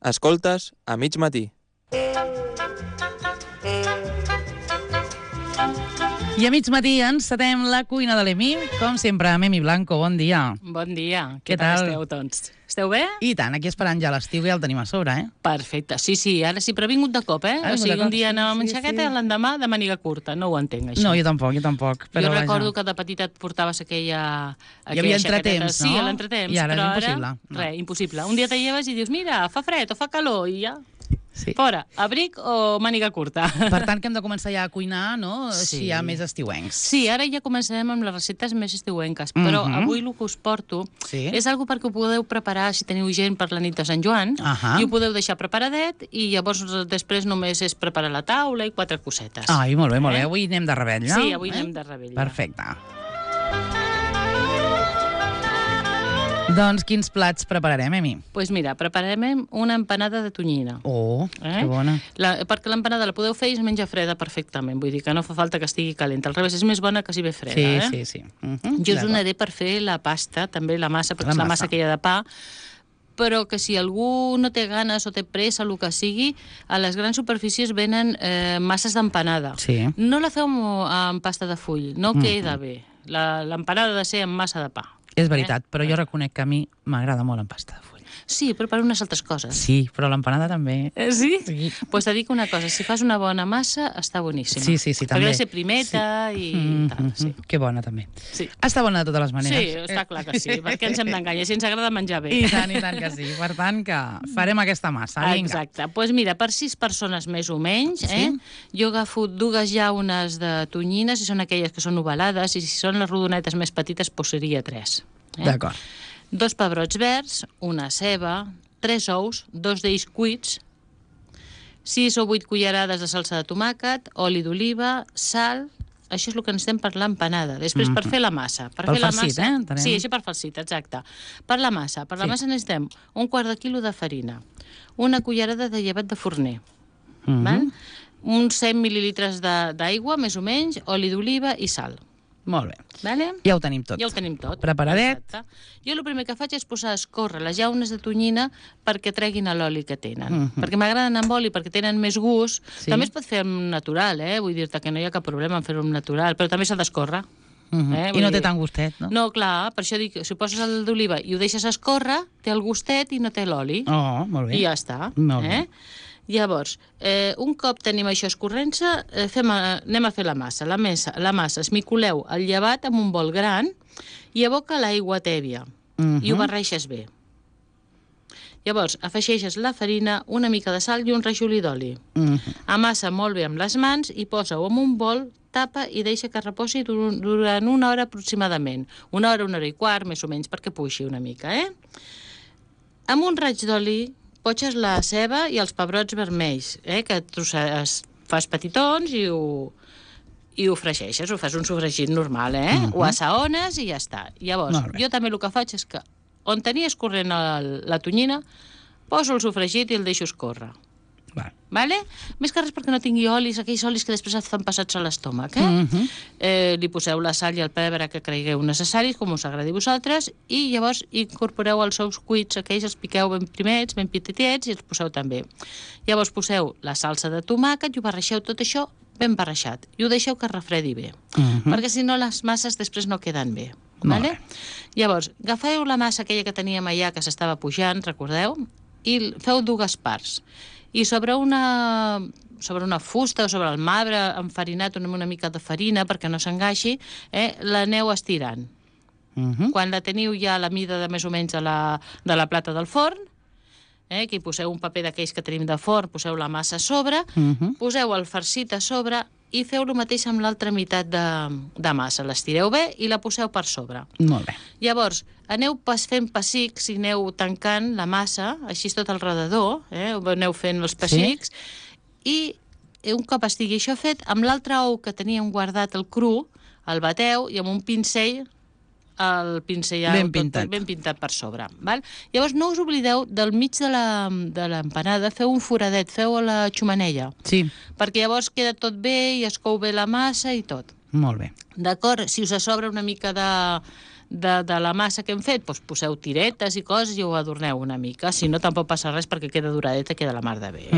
Escoltes a mig matí. I a mig matí encetem la cuina de l'Emi, com sempre, amb Emi Blanco. Bon dia. Bon dia. Què tal? Esteu, doncs? Esteu bé? I tant, aquí esperant ja l'estiu, ja el tenim a sobre, eh? Perfecte. Sí, ara sí, però ha vingut de cop, eh? O sigui, un dia anàvem amb xaqueta i l'endemà de màniga curta. No ho entenc, això. No, jo tampoc. Però jo recordo que de petita et portaves aquella hi havia entretemps, no? Sí, a l'entretemps. I ara però és impossible. Res, impossible. Un dia te lleves i dius, mira, fa fred o fa calor, i ja... Sí. Fora, abric o màniga curta. Per tant, que hem de començar ja a cuinar, no? Sí. Si hi ha més estiuencs. Sí, ara ja començarem amb les receptes més estiuenques, però avui el que us porto és algo perquè ho podeu preparar si teniu gent per la nit de Sant Joan, i ho podeu deixar preparadet i llavors després només és preparar la taula i 4 cosetes. Ai, molt bé. Avui anem de rebella. Sí, avui anem de rebella. Perfecte. Doncs quins plats prepararem, Emi? Doncs mira, prepararem una empanada de tonyina. Oh, que bona. Perquè l'empanada la podeu fer i es menja freda perfectament, vull dir que no fa falta que estigui calenta. Al revés, és més bona que si ve freda, Sí. Jo us donaré per fer la pasta, també la massa, perquè és la massa aquella de pa, però que si algú no té ganes o té pressa, el que sigui, a les grans superfícies venen masses d'empanada. Sí. No la feu amb pasta de full, no queda bé. L'empanada ha de ser amb massa de pa. És veritat, però jo reconec que a mi m'agrada molt en pasta de full. Sí, però per unes altres coses. Sí, però l'empanada també. Sí? Doncs te dic una cosa, si fas una bona massa, està boníssima. Sí, també. Perquè ha de ser primeta i tal, sí. Que bona, també. Sí. Està bona de totes les maneres. Sí, està clar que sí, perquè ens hem d'enganyar, si ens agrada menjar bé. I tant que sí. Per tant, que farem aquesta massa. Vinga. Exacte. Doncs mira, per 6 persones més o menys, jo agafo 2 llaunes de tonyina, si són aquelles que són ovalades, i si són les rodonetes més petites, seria 3. D'acord. 2 pebrots verds, una ceba, 3 ous, 2 d'ells cuits, 6 o 8 cullerades de salsa de tomàquet, oli d'oliva, sal. Això és el que necessitem per l'empanada. Després, per fer la massa. Per farcit, entenem. Sí, això per farcit, exacte. Per la massa massa necessitem un quart de quilo de farina, una cullerada de llevat de forner, uns 100 mil·lilitres d'aigua, més o menys, oli d'oliva i sal. Molt bé. Vale? Ja ho tenim tot. Ja ho tenim tot. Preparadet. Exacte. Jo el primer que faig és posar a escórrer les llaunes de tonyina perquè treguin l'oli que tenen. Perquè m'agraden amb oli, perquè tenen més gust. Sí. També es pot fer amb natural, vull dir-te que no hi ha cap problema en fer-ho amb natural, però també s'ha d'escórrer. I no té tant gustet, no? No, clar, per això dic, si poses el d'oliva i ho deixes escórrer, té el gustet i no té l'oli. Oh, molt bé. I ja està. Molt bé. Llavors, un cop tenim això escorrent-se, anem a fer la massa. La massa esmicoleu el llevat amb un bol gran i aboca l'aigua tèbia i ho barreixes bé. Llavors, afegeixes la farina, una mica de sal i un rajolí d'oli. Amassa molt bé amb les mans i posa-ho en un bol, tapa i deixa que reposi durant 1 hora aproximadament. 1 hora, 1 hora i quart, més o menys, perquè puixi una mica, Amb un raig d'oli potxes la ceba i els pebrots vermells, que fas petitons i ho fregeixes, ho fas un sofregit normal, ho assaones i ja està. Llavors, jo també el que faig és que on tenia escorrent la tonyina, poso el sofregit i el deixo escórrer. Vale? Més que res perquè no tingui olis, aquells olis que després et fan passats a l'estómac. Li poseu la sal i el pebre que cregueu necessaris, com us agradi a vosaltres, i llavors incorporeu els ous cuits, aquells els piqueu ben primets, ben petitets, i els poseu també. Llavors poseu la salsa de tomàquet i ho barreixeu tot això ben barreixat. I ho deixeu que es refredi bé, perquè si no les masses després no queden bé. Vale? Llavors, agafeu la massa aquella que teníem allà que s'estava pujant, recordeu? I feu 2 parts. I sobre una fusta o sobre el marbre enfarinat amb una mica de farina perquè no s'engaixi, l'aneu estirant. Quan la teniu ja a la mida de més o menys de la plata del forn, que hi poseu un paper d'aquells que tenim de forn, poseu la massa a sobre, poseu el farcit a sobre i feu el mateix amb l'altra meitat de massa. L'estireu bé i la poseu per sobre. Molt bé. Llavors, aneu fent pessics i aneu tancant la massa, així tot al redador, aneu fent els pessics, i un cop estigui això fet, amb l'altre ou que teníem guardat el cru, el bateu i amb un pincell el pincellar ben pintat per sobre. Val? Llavors no us oblideu del mig de l'empanada, feu un foradet, feu a la xumanella, perquè llavors queda tot bé i es cou bé la massa i tot. Molt bé. D'acord? Si us sobra una mica de la massa que hem fet, doncs poseu tiretes i coses i ho adorneu una mica. Si no, tampoc passa res perquè queda doradeta, queda la mar de bé.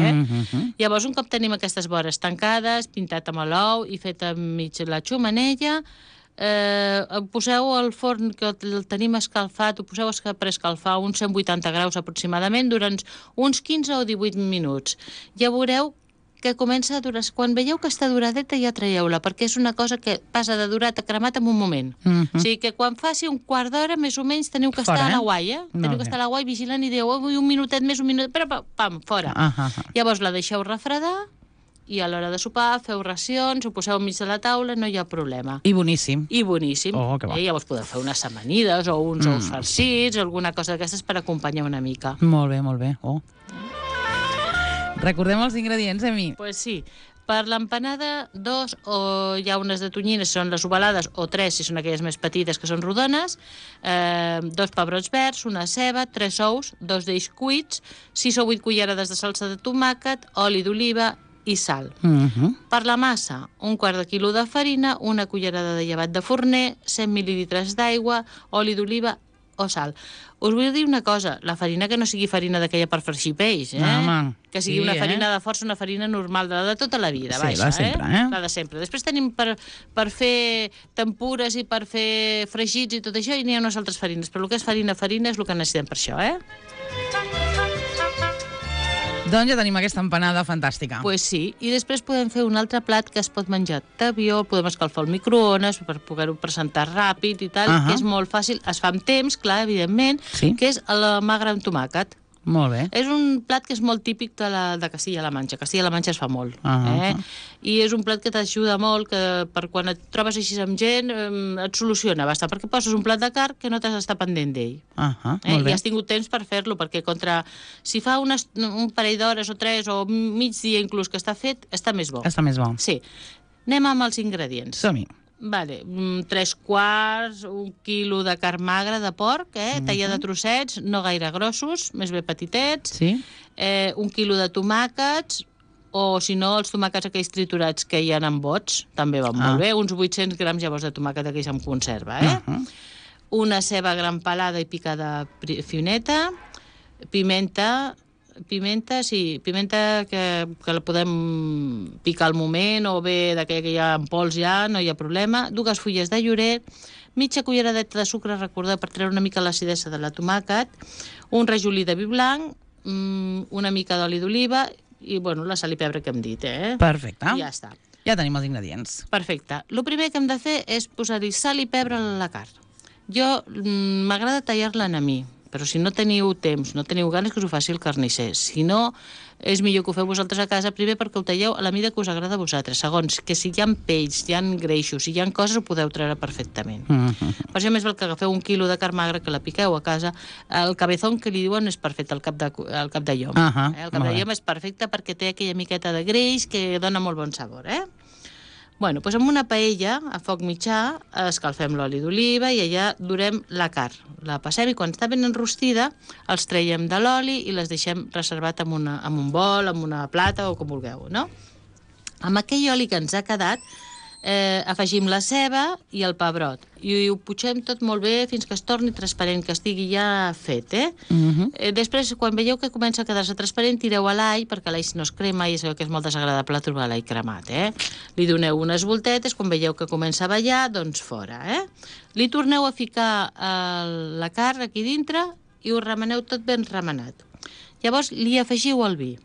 Llavors, un cop tenim aquestes vores tancades, pintat amb l'ou i fet enmig la xumanella, poseu al forn que el tenim escalfat, ho poseu per escalfar uns 180 graus aproximadament durant uns 15 o 18 minuts. Ja veureu que comença a durar. Quan veieu que està duradeta ja traieu-la, perquè és una cosa que passa de durat a cremat en un moment. O sigui que quan faci un quart d'hora, més o menys, teniu que estar a la guai, Teniu que estar a la guai vigilant i dieu, un minutet més, un minutet, però pam, fora. Llavors la deixeu refredar i a l'hora de sopar feu racions, ho poseu enmig de la taula, no hi ha problema. I boníssim. I boníssim. Que bo. Llavors podeu fer unes amanides o uns ous farcits, alguna cosa d'aquestes per acompanyar una mica. Molt bé, molt bé. Recordem els ingredients, Emi. Pues sí. Per l'empanada, 2 o hi ha unes de tonyines, són les ovalades, o 3 si són aquelles més petites que són rodones, 2 pebrots verds, una ceba, 3 ous, 2 d'ells cuits, 6 o 8 cullerades de salsa de tomàquet, oli d'oliva i sal. Per la massa, un quart de quilo de farina, una cullerada de llevat de forner, 100 mil·lilitres d'aigua, oli d'oliva o sal. Us vull dir una cosa, la farina que no sigui farina d'aquella per fregir peix, que sigui una farina de força, una farina normal, de tota la vida, sí, la de sempre, La de sempre. Després tenim per fer tempures i per fer fregits i tot això, i n'hi ha unes altres farines, però el que és farina és el que necessitem per això, Doncs ja tenim aquesta empanada fantàstica. Pues sí, i després podem fer un altre plat que es pot menjar d'avió, podem escalfar al microones per poder-ho presentar ràpid i tal, que és molt fàcil, es fa amb temps, clar, evidentment, que és la magra amb tomàquet. Molt bé. És un plat que és molt típic de Castilla-La Manxa. Castilla-La Manxa es fa molt. I és un plat que t'ajuda molt, que per quan et trobes així amb gent et soluciona bastant, perquè poses un plat de carn que no t'has d'estar pendent d'ell. I has tingut temps per fer-lo, perquè si fa un parell d'hores o 3 o mig dia inclús que està fet, està més bo. Està més bo. Sí. Anem amb els ingredients. Som-hi. Vale, 3/4, 1 quilo de carn magra de porc, tallada de trossets, no gaire grossos, més bé petitets, 1 quilo de tomàquets, o si no, els tomàquets aquells triturats que hi ha en bots, també van molt bé, uns 800 grams llavors de tomàquet aquells en conserva, una ceba gran pelada i picada fineta, pimenta que la podem picar al moment, o bé d'aquella que hi ha en pols ja, no hi ha problema, 2 fulles de llorer, mitja culleradeta de sucre, recordeu, per treure una mica l'acidesa de la tomàquet, un rajolí de vi blanc, una mica d'oli d'oliva i, la sal i pebre que hem dit, Perfecte. I ja està. Ja tenim els ingredients. Perfecte. El primer que hem de fer és posar-hi sal i pebre a la carn. Jo m'agrada tallar-la en mi, però si no teniu temps, no teniu ganes, que us ho faci el carnisser. Si no, és millor que ho feu vosaltres a casa, primer perquè ho talleu a la mida que us agrada a vosaltres. Segons, que si hi ha pells, hi ha greixos, si hi ha coses, ho podeu treure perfectament. Per això més val que agafeu 1 quilo de carn magra, que la piqueu a casa. El cabezón, que li diuen, és perfecte, el cap de llom. El cap de llom és perfecte perquè té aquella miqueta de greix que dona molt bon sabor, Doncs amb una paella, a foc mitjà, escalfem l'oli d'oliva i allà durem la carn. La passem i quan està ben enrostida, els traiem de l'oli i les deixem reservat en un bol, en una plata o com vulgueu, no? Amb aquell oli que ens ha quedat, afegim la ceba i el pebrot i ho putxem tot molt bé fins que es torni transparent, que estigui ja fet, Després, quan veieu que comença a quedar-se transparent, tireu a l'all, perquè l'all no es crema i sabeu que és molt desagradable trobar l'all cremat, Li doneu unes voltetes, quan veieu que comença a ballar, doncs fora, Li torneu a ficar la carn aquí dintre i ho remeneu tot ben remenat. Llavors li afegiu el vi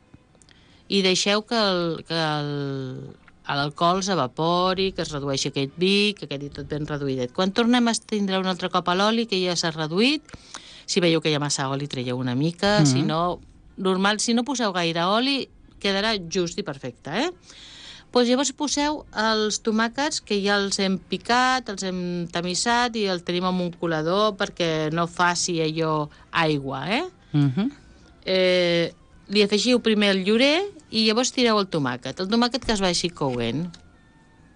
i deixeu que l'alcohol s'evapori, que es redueixi aquest vi, que quedi tot ben reduïdet. Quan tornem a estendre un altre cop a l'oli, que ja s'ha reduït, si veieu que hi ha massa oli, traieu una mica, si no poseu gaire oli, quedarà just i perfecte, Doncs llavors poseu els tomàquets, que ja els hem picat, els hem tamissat i els tenim en un colador perquè no faci allò aigua, Li afegiu primer el llorer i llavors tireu el tomàquet. El tomàquet que es vagi coent.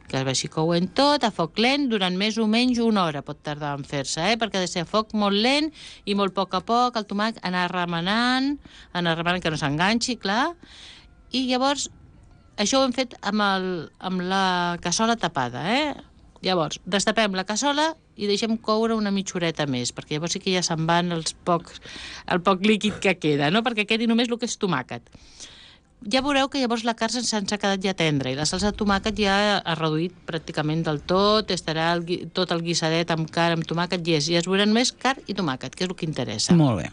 Que es vagi coent tot a foc lent durant més o menys una hora pot tardar en fer-se, perquè ha de ser a foc molt lent i molt a poc el tomàquet anar remenant que no s'enganxi, clar. I llavors això ho hem fet amb la cassola tapada, Llavors, destapem la cassola i deixem coure una mitja horeta més, perquè llavors sí que ja se'n van el poc líquid que queda, no? Perquè quedi només el que és tomàquet. Ja veureu que llavors la carn se'ns ha quedat ja tendra i la salsa de tomàquet ja ha reduït pràcticament del tot, estarà tot el guisadet amb carn, amb tomàquet, i ja es veurà només carn i tomàquet, que és el que interessa. Molt bé.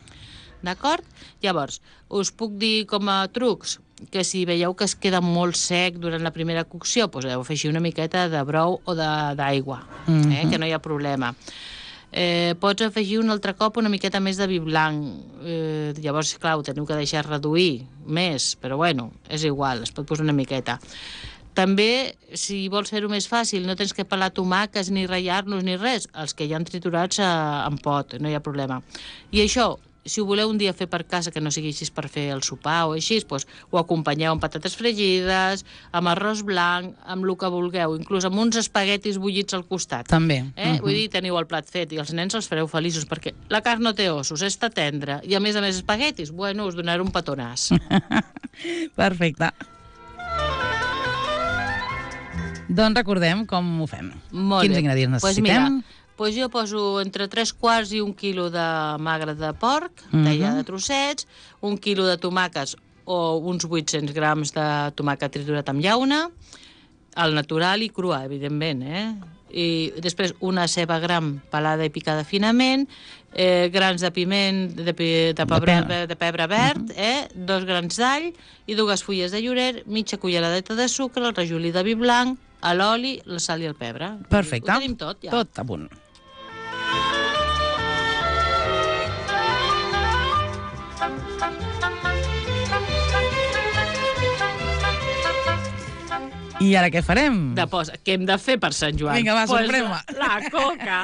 D'acord? Llavors, us puc dir com a trucs que si veieu que es queda molt sec durant la primera cocció, doncs heu afegir una miqueta de brou o d'aigua, que no hi ha problema. Pots afegir un altre cop una miqueta més de vi blanc. Llavors, clar, ho teniu que deixar reduir més, però bueno, és igual, es pot posar una miqueta. També, si vols fer-ho més fàcil, no tens que pelar tomàquets ni ratllar-los ni res, els que hi han triturats en pot, no hi ha problema. I això, si ho voleu un dia fer per casa, que no sigui així per fer el sopar o així, doncs ho acompanyeu amb patates fregides, amb arròs blanc, amb el que vulgueu, inclús amb uns espaguetis bullits al costat. També. Vull dir, teniu el plat fet i els nens els fareu feliços, perquè la carn no té ossos, està tendra, i a més espaguetis, bueno, us donaré un petonàs. Perfecte. Doncs recordem com ho fem. Molt Quins bé. ingredients necessitem? Mira, jo poso entre 3 quarts i 1 quilo de magre de porc, tallat de trossets, 1 quilo de tomàquets o uns 800 grams de tomàquet triturat amb llauna, al natural i crua, evidentment, I després una ceba gran pelada i picada finament, grans de piment, de pebre verd, 2 grans d'all i 2 fulles de llorer, mitja culleradeta de sucre, el rajolí de vi blanc, l'oli, la sal i el pebre. Perfecte. Ho tenim tot, ja. Tot a punt. I ara què farem? Què hem de fer per Sant Joan? Vinga, va, sorprèn-me. La coca.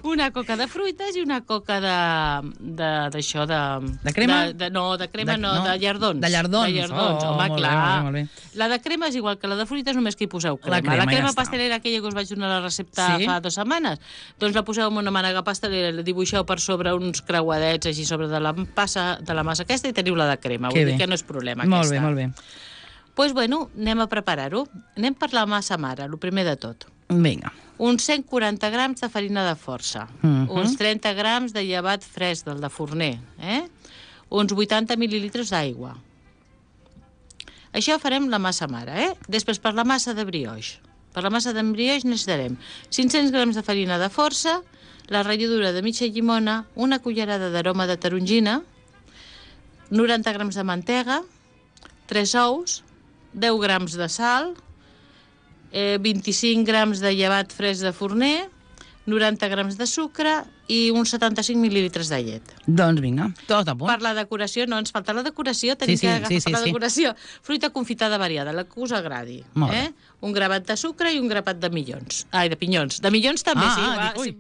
Una coca de fruites i una coca d'això de... De crema? De crema no, de llardons. De llardons. De llardons, home, molt clar. Bé, molt bé. La de crema és igual que la de fruites, només que hi poseu crema. La crema ja pastelera, aquella que us vaig donar la recepta fa 2 setmanes, doncs la poseu en una mànega pastelera, la dibuixeu per sobre uns creuadets així sobre de la massa aquesta i teniu la de crema. Vull dir que no és problema aquesta. Molt bé, molt bé. Doncs, bueno, anem a preparar-ho. Anem per la massa mare, el primer de tot. Vinga. Uns 140 grams de farina de força, uns 30 grams de llevat fresc, del de forner, uns 80 mil·lilitres d'aigua. Això farem la massa mare, Després, per la massa de brioix. Per la massa de brioix necessitarem 500 grams de farina de força, la ratlladura de mitja llimona, una cullerada d'aroma de tarongina, 90 grams de mantega, 3 ous, 10 grams de sal, 25 grams de llevat fresc de forner, 90 grams de sucre i uns 75 mil·lilitres de llet. Doncs vinga, tot a punt. Per la decoració, no ens falta la decoració, tenim que agafar per la decoració. Fruita confitada variada, la que us agradi. Un grapat de sucre i un grapat de pinyons. De minyons també,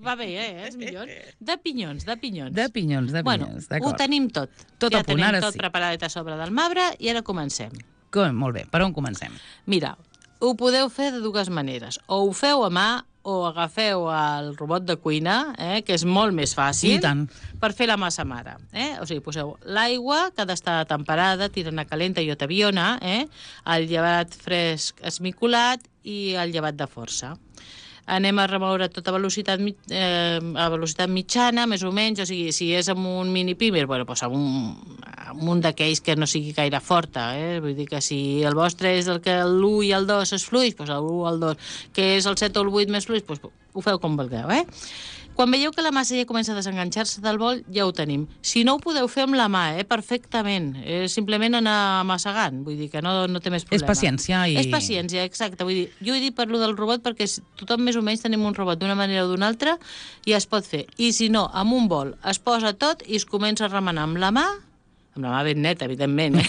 va bé, els minyons. De pinyons. De pinyons, Bueno, ho tenim tot. Tot a punt, ara sí. Ja tenim tot preparadet a sobre del marbre i ara comencem. Molt bé, per on comencem? Mira, ho podeu fer de 2 maneres. O ho feu a mà o agafeu el robot de cuina, que és molt més fàcil per fer la massa mare. O sigui, poseu l'aigua, que ha d'estar temperada, tirant a calenta i tabiona, el llevat fresc esmicolat i el llevat de força. Anem a remoure tot a velocitat mitjana, més o menys, o sigui, si és amb un mini pimer, doncs amb un d'aquells que no sigui gaire forta, vull dir que si el vostre és el que l'1 i el 2 és fluix, doncs el 1 o el 2, que és el 7 o el 8 més fluix, doncs ho feu com vulgueu, Quan veieu que la massa ja comença a desenganxar-se del bol, ja ho tenim. Si no, ho podeu fer amb la mà, perfectament. És simplement anar massegant, vull dir que no té més problema. És paciència. És paciència, exacte. Vull dir, jo he dit per lo del robot perquè tothom més o menys tenim un robot d'una manera o d'una altra i es pot fer. I si no, amb un bol es posa tot i es comença a remenar amb la mà ben neta, evidentment,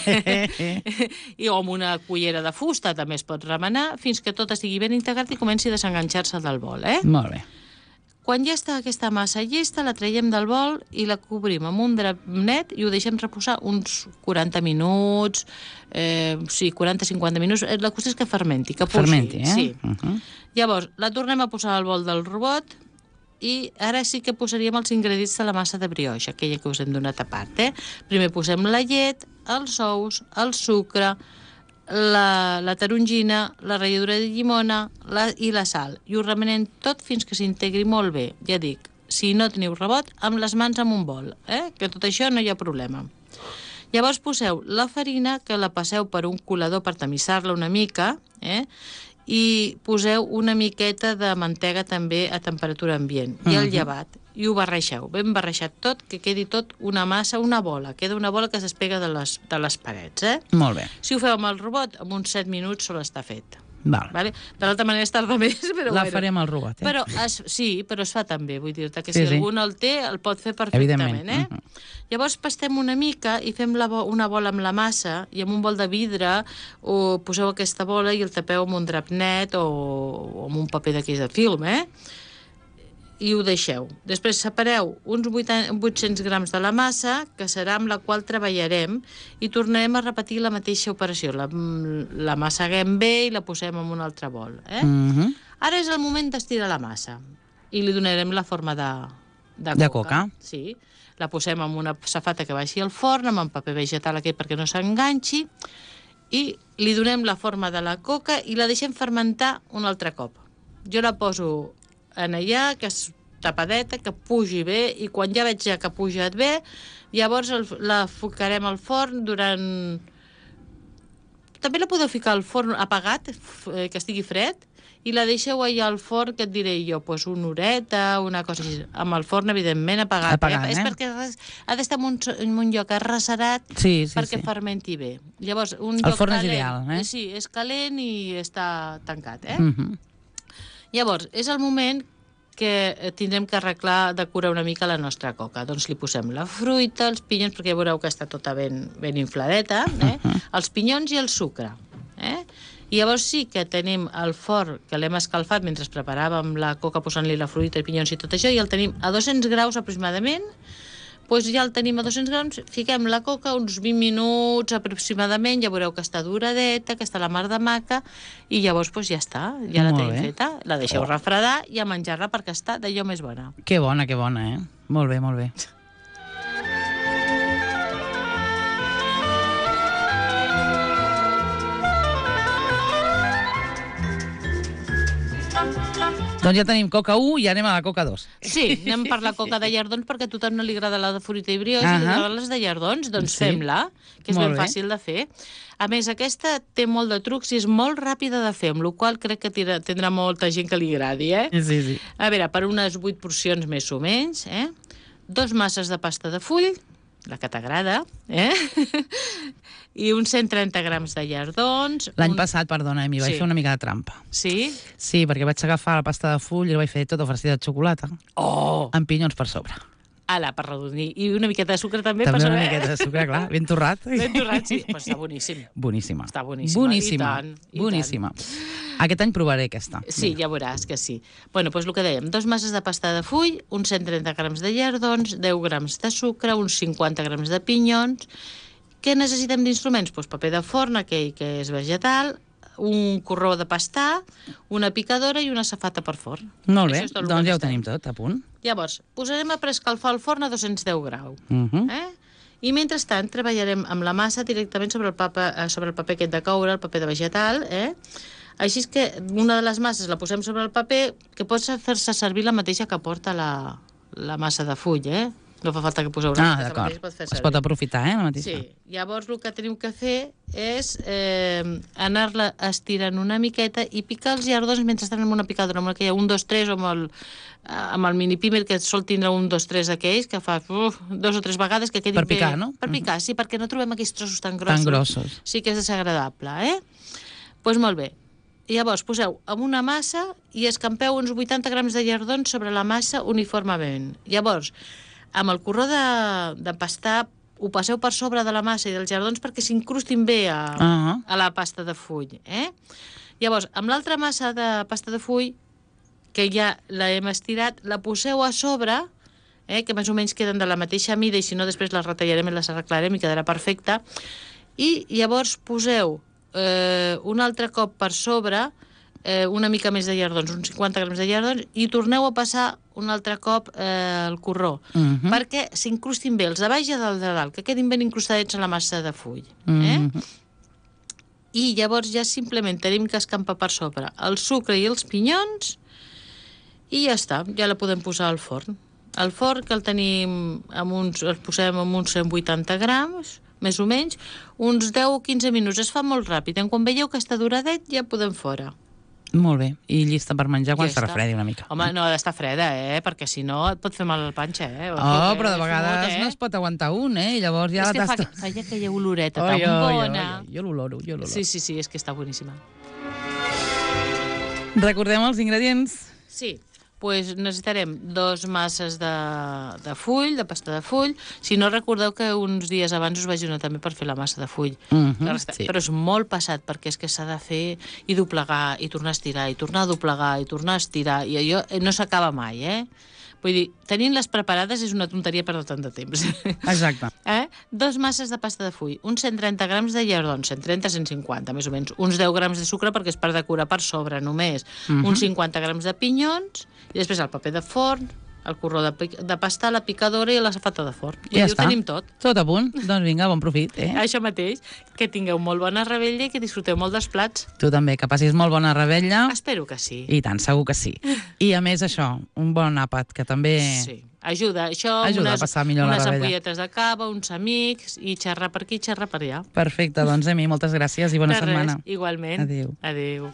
i amb una cullera de fusta també es pot remenar fins que tot estigui ben integrat i comenci a desenganxar-se del bol, Molt bé. Quan ja està aquesta massa llesta, la traiem del bol i la cobrim amb un drap net i ho deixem reposar uns 40 minuts, 40-50 minuts. La qüestió és que fermenti, que posi. Fermenti, Sí. Llavors, la tornem a posar al bol del robot i ara sí que posaríem els ingredients de la massa de brioix, aquella que us hem donat a part. Primer posem la llet, els ous, el sucre, la tarongina, la ratlladura de llimona i la sal. I ho remenem tot fins que s'integri molt bé. Ja dic, si no teniu rebot, amb les mans en un bol, que tot això no hi ha problema. Llavors poseu la farina, que la passeu per un colador per tamissar-la una mica, i poseu una miqueta de mantega també a temperatura ambient, i el llevat, i ho barreixeu, ben barreixat tot, que quedi tot una massa, una bola, queda una bola que es despega de les parets. Molt bé. Si ho feu amb el robot, en uns 7 minuts sol estar fet. Val. Vale? De l'altra manera es tarda més, però La farem al robot, Però sí, però es fa també, vull dir-te que si algú no el té, el pot fer perfectament. Evidentment. Llavors pastem una mica i fem una bola amb la massa i amb un bol de vidre o poseu aquesta bola i el tapeu amb un drap net o amb un paper d'aquells de film, i ho deixeu. Després separeu uns 800 grams de la massa, que serà amb la qual treballarem, i tornarem a repetir la mateixa operació. La massaguem bé i la posem en un altre bol. Ara és el moment d'estirar la massa i li donarem la forma de coca. Sí. La posem en una safata que baixi al forn, amb un paper vegetal aquell perquè no s'enganxi, i li donem la forma de la coca i la deixem fermentar un altre cop. Jo la poso en allà, que és tapadeta, que pugi bé, i quan ja veig que ha pujat bé, llavors la ficarem al forn durant... També la podeu ficar al forn apagat, que estigui fred, i la deixeu allà al forn, que et diré jo, doncs una horeta, una cosa així. Amb el forn, evidentment, apagat. És perquè ha d'estar en un lloc arrecerat perquè fermenti bé. Llavors, el forn és ideal, Sí, és calent i està tancat, Llavors, és el moment que tindrem que arreglar, decorar una mica la nostra coca. Doncs li posem la fruita, els pinyons, perquè ja veureu que està tota ben infladeta, els pinyons i el sucre. I llavors sí que tenim el forn, que l'hem escalfat mentre preparàvem la coca posant-li la fruita, els pinyons i tot això, i el tenim a 200 graus aproximadament. Doncs ja el tenim a 200 grams, fiquem la coca uns 20 minuts aproximadament, ja veureu que està duradeta, que està la mar de maca, i llavors ja està, ja la tenim feta, la deixeu refredar i a menjar-la perquè està d'allò més bona. Que bona, Molt bé, molt bé. Doncs ja tenim coca 1 i anem a la coca 2. Sí, anem per la coca de llardons perquè a tothom no li agrada la de fruita i brioix, li agraden les de llardons, doncs fem-la, que és ben fàcil de fer. A més, aquesta té molt de trucs i és molt ràpida de fer, amb la qual crec que tindrà molta gent que li agradi, Sí. A veure, per unes 8 porcions més o menys, 2 masses de pasta de full, la que t'agrada, i uns 130 grams de llardons. L'any passat, perdona, m'hi vaig fer una mica de trampa. Sí? Sí, perquè vaig agafar la pasta de full i la vaig fer tota farcida de xocolata. Amb pinyons per sobre. Ala, per redonir. I una miqueta de sucre també per sobre. També una miqueta de sucre, clar, ben torrat. Ben torrat, sí. Però està boníssim. Boníssima. Està boníssima. Boníssima. Aquest any provaré aquesta. Sí, ja veuràs que sí. Bueno, doncs el que dèiem, 2 masses de pasta de full, uns 130 grams de llardons, 10 grams de sucre, uns 50 grams de pinyons. Què necessitem d'instruments? Doncs paper de forn, aquell que és vegetal, un corró de pastar, una picadora i una safata per forn. Molt bé, doncs ja ho tenim tot, a punt. Llavors, posarem a preescalfar el forn a 210 graus. I mentrestant treballarem amb la massa directament sobre el paper aquest de coure, el paper de vegetal, Així és que una de les masses la posem sobre el paper, que pot fer-se servir la mateixa que porta la massa de full, No fa falta que poseu una massa, d'acord. Es pot aprofitar, la mateixa. Sí. Llavors el que tenim que fer és anar-la estirant una miqueta i picar els llardons mentre estan en una picadora, amb que hi ha 1, 2, 3, o amb el mini pimer, que sol tindre 1, 2, 3 aquells, que fa 2 o 3 vegades que quedin bé. Per picar, no? Per picar, sí, perquè no trobem aquells trossos tan grossos. Tan grossos. Sí que és desagradable, Doncs molt bé. Llavors poseu amb una massa i escampeu uns 80 grams de llardons sobre la massa uniformement. Llavors, amb el corró de pastar ho passeu per sobre de la massa i dels llardons perquè s'incrustin bé a la pasta de full. Llavors, amb l'altra massa de pasta de full, que ja l'hem estirat, la poseu a sobre, que més o menys queden de la mateixa mida, i si no després les retallarem i les arreglarem i quedarà perfecta. I llavors poseu un altre cop per sobre una mica més de llardons, uns 50 grams de llardons, i torneu a passar un altre cop el corró, perquè s'incrustin bé els de baix i els de dalt, que quedin ben incrustadets a la massa de full. i llavors ja simplement tenim que escampar per sobre el sucre i els pinyons i ja està, ja la podem posar al forn. El forn que el tenim, el posem amb uns 180 grams, més o menys, uns 10 o 15 minuts. Es fa molt ràpid. Quan veieu que està duradet, ja podem fora. Molt bé. I llista per menjar quan Ja estarà està. fredi una mica. Home, no ha d'estar freda, perquè si no et pot fer mal al panxa, Oh, però de vegades no es pot aguantar un, i llavors ja és que t'has... fa aquella oloreta tan bona. Jo l'oloro, Sí, és que està boníssima. Recordem els ingredients. Sí, doncs necessitarem 2 masses de full, de pasta de full. Si no, recordeu que uns dies abans us vaig donar també per fer la massa de full. Sí. Però és molt passat, perquè és que s'ha de fer i doblegar, i tornar a estirar, i tornar a doblegar, i tornar a estirar, i allò no s'acaba mai, Vull dir, tenint-les preparades és una tonteria perdre tant de temps. Exacte. 2 masses de pasta de full, uns 130 grams de llardons, 130-150, més o menys, uns 10 grams de sucre perquè és per decorar per sobre només, uns 50 grams de pinyons, i després el paper de forn, el corró de pasta, la picadora i la safata de forn. Ja I està. ho tenim tot. Tot a punt. Doncs vinga, bon profit. Això mateix, que tingueu molt bona revetlla i que disfruteu molt dels plats. Tu també, que passis molt bona revetlla. Espero que sí. I tant, segur que sí. I a més això, un bon àpat, que també... Sí. Ajuda, això, Ajuda a passar millor la unes revetlla. ampolletes de cava, uns amics, i xerrar per aquí, xerrar per allà. Perfecte, doncs Emi, moltes gràcies i bona De setmana. res, igualment. Adéu. Adéu.